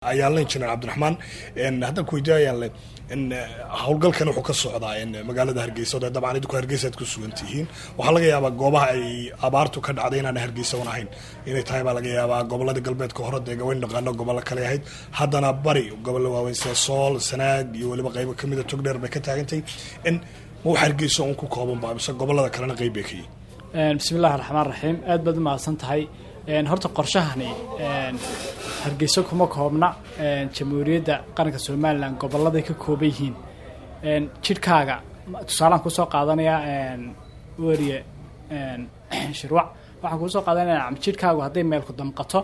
Ayaan Injineer Cabdiraxmaan, haddaan ku weydiiyo, ayaan le howlgalkan wuxuu ka socdaa magaalada Hargeysa o dee dabcan idinku Hargeysa aad ku sugan tihiin. Waxaa laga yaabaa goobaha ay abaartu ka dhacday inaan Hargeysa un ahayn inay tahay baa laga yaabaa. Gobolada galbeedka hore dee gawayn dhaqaano gobollo kale ahayd, haddana bari gobollo waaweyn sida Sool, Sanaag iyo weliba qaybo kamida Togdheer bay ka taagantay. Ma wax Hargeysa un ku kooban ba mise gobolada kalena qeyb bay ka yihiin? Bismi illahi raxmaan raxiim, aad baad umahadsan tahay. Horta qorshahani Hargeysa kuma koobna, Jamhuuriyadda Qaranka Somalilan goboladay ka kooban yihiin. Jidhkaaga tusaalaan kusoo qaadanayaa, weriye Shirwac, waxaan kuusoo qaadanaya jidhkaagu hadday meelku damqato,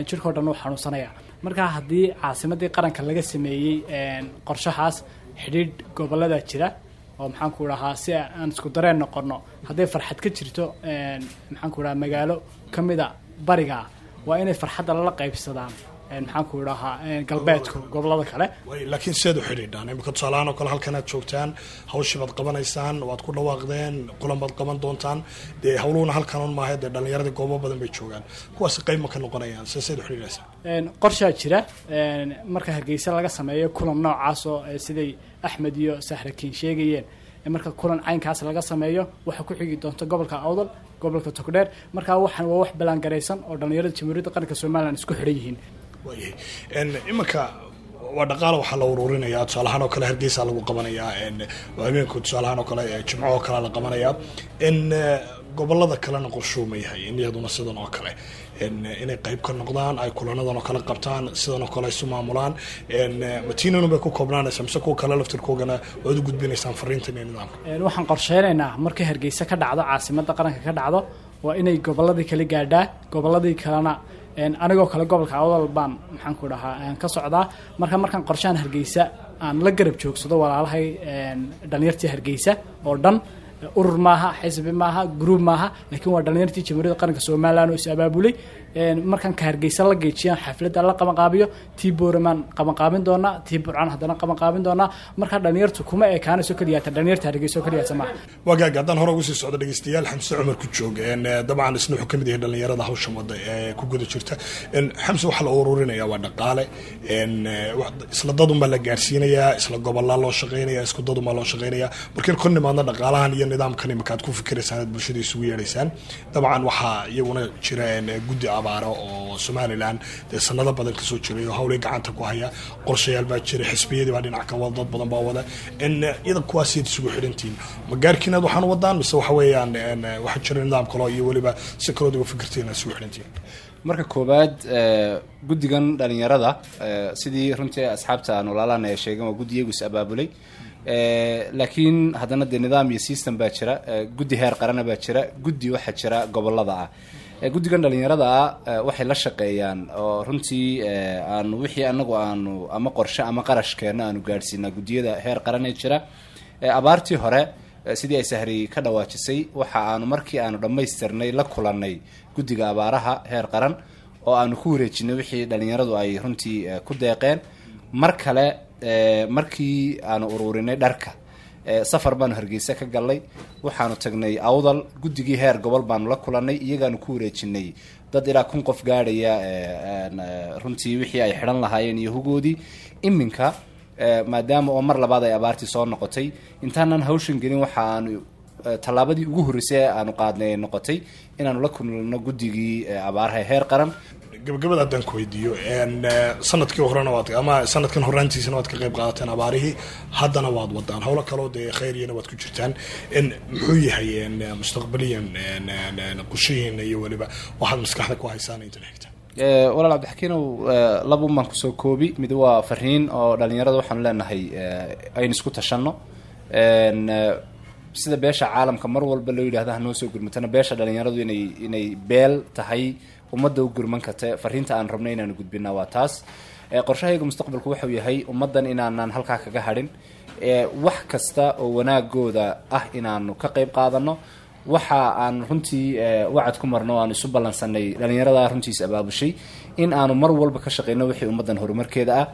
jidhkao dhan uu xanuunsanaya. Marka haddii caasimadii qaranka laga sameeyey qorshahaas, xidhiidh gobolada jira oo, maxaan ku dhahaa, si aan isku dareen noqono. Hadday farxad ka jirto, maxaan ku dhahaa, magaalo kamida bariga, waa inay farxadda lala qaybsadaan, maxaan ku dhahaa, galbeedku gobolada kale. Laakiin sideed u xidhiidhaan imika tusaalahaan oo kale halkan aad joogtaan, hawshii baad qabanaysaan, waad ku dhawaaqdeen, kulan baad qaban doontaan, dee hawluhuna halkan un maaha, dee dhalinyaradii goobo badan bay joogaan, kuwaasi qayb ma ka noqonayaan? Se seed u xidhiidhaysaan? Qorshaa jira. Marka Hargeysa laga sameeyo kulan noocaas oo siday Axmed iyo Sahrakiin sheegayeen, marka kulan caynkaas laga sameeyo, waxaa ku xigi doonta gobolka Awdal, gobolka Togdheer. Marka waxaan waa wax ballaangaraysan oo dhalinyarada Jamhuuriyadda Qaranka Somalilan isku xidhan yihiin. Waayahay, iminka waa dhaqaala waxaa la uruurinayaa, tusaalahaan oo kale Hargeysa lagu qabanayaa habeenku, tusaalahaan oo kale Jimco oo kale la qabanayaa. Gobolada kalena qorshuu ma yahay in iyaduna sidan oo kale inay qayb ka noqdaan, ay kulanadan oo kale qabtaan, sidan oo kale isu maamulaan? Matiinanu bay ku koobnaanaysaa mise kuwa kale laftirkoogana waad u gudbinaysaan fariintan iyo nidaamka? Waxaan qorsheynaynaa markay Hargeysa ka dhacdo, caasimadda qaranka ka dhacdo, waa inay goboladii kale gaadhaa. Goboladii kalena, anigoo kale gobolka Awdal baan, maxaan ku dhahaa, ka socdaa. Marka markaan qorshahan Hargeysa aan la garab joogsado walaalahay dhalinyartii Hargeysa oo dhan, urur maaha, xisbi maaha, group maaha, laakiin waa dhalinyartii Jamhuuriyadda Qaranka Somalilan oo is abaabulay. Markaan ka Hargeysa la geejiyaan, xafladda la qabanqaabiyo, tii Booramaan qabanqaabin doonaa, tii Burcaan haddana qabanqaabin doonaa. Marka dhalinyartu kuma ekaanayso keliyaata dhalinyarta Hargeysa oo keliyaata maaha. Wagaag, haddaan hore ugu sii socdo dhegeystayaal, Xamse Cumar ku joog, dabcan isna wuxuu kamid yahay dhalinyarada hawshan wada ee ku guda jirta. Xamse, waxaa la ururinaya waa dhaqaale, isla dadun baa la gaarsiinayaa, isla gobolaa loo shaqeynaya, isku dadun baa loo shaqeynaya. Markayn kor nimaadna dhaqaalahan iyo nidaamkan imika aad ku fikiraysaan, aad bulshada isugu yeedhaysaan, dabcan waxaa iyaguna jira guddi abaaro oo Somalilan dee sanado badan kasoo jiray oo hawlay gacanta ku haya. Qorshayaal baa jira, xisbiyadii baa dhinac ka wada, dad badan baa wada. Iyada kuwaasiad isugu xidhantihiin? Ma gaarkiinaad waxaan wadaan mise waxa weeyaan waxaa jira nidaam kaloo iyo weliba si kalood uga fikirtiin aad isugu xidhantihiin? Marka koowaad, guddigan dhalinyarada, sidii runtii asxaabta aan walaalahana ay sheegeen, waa guddi iyagu is abaabulay, laakiin haddana dee nidaam iyo system baa jira. Guddi heer qarana baa jira, guddi waxaa jira gobolada ah. Guddigan dhalinyarada ah waxay la shaqeeyaan oo runtii aanu wixii anagu aanu ama qorshe ama qarashkeena aanu gaadhsiinaa guddiyada heer qaran ee jira. Abaartii hore, sidii ay Sahri ka dhawaajisay, waxa aanu markii aanu dhammaystirnay la kulannay guddiga abaaraha heer qaran oo aanu ku wareejinay wixii dhalinyaradu ay runtii ku deeqeen. Mar kale markii aanu ururinay dharka, safar baanu Hargeysa ka galnay, waxaanu tagnay Awdal, guddigii heer gobol baanu la kulannay, iyagaanu ku wareejinay dad ilaa 1000 qof gaadhaya runtii wixii ay xidhan lahaayeen iyo hugoodii. Iminka maadaama oo mar labaad ay abaartii soo noqotay, intaanan hawshan gelin waxa aanu tallaabadii ugu horreysay ee aanu qaadnay ay noqotay inaanu la kulno guddigii abaaraha heer qaran. Gabagabada haddaan ku weydiiyo, sanadkii horena waad ama sanadkan horaantiisana waad ka qayb qaadateen abaarihii, haddana waad wadaan howlo kaloo dee khayriyana waad ku jirtaan. Muxuu yahay mustaqbaliyan qorshihiina iyo weliba waxaad maskaxda ku haysaan intan xigta? Walaal Cabdixakiinow, labun baan kusoo koobi. Mid waa fariin oo dhalinyarada waxaanu leenahay aynu isku tashanno. Sida beesha caalamka mar walba loo yidhahda hanoo soo gurmatana, beesha dhalinyaradu inay beel tahay ummadda u gurman karta. Fariinta aan rabno inaanu gudbina waa taas. Qorshahayga mustaqbalku wuxuu yahay ummaddan inaanaan halkaa kaga hadhin, wax kasta oo wanaagooda ah inaanu ka qayb qaadano. Waxa aan runtii wacad ku marno o aan isu ballansanay dhalinyarada runtiis abaabushay in aanu mar walba ka shaqeyno wixii ummaddan horumarkeeda ah.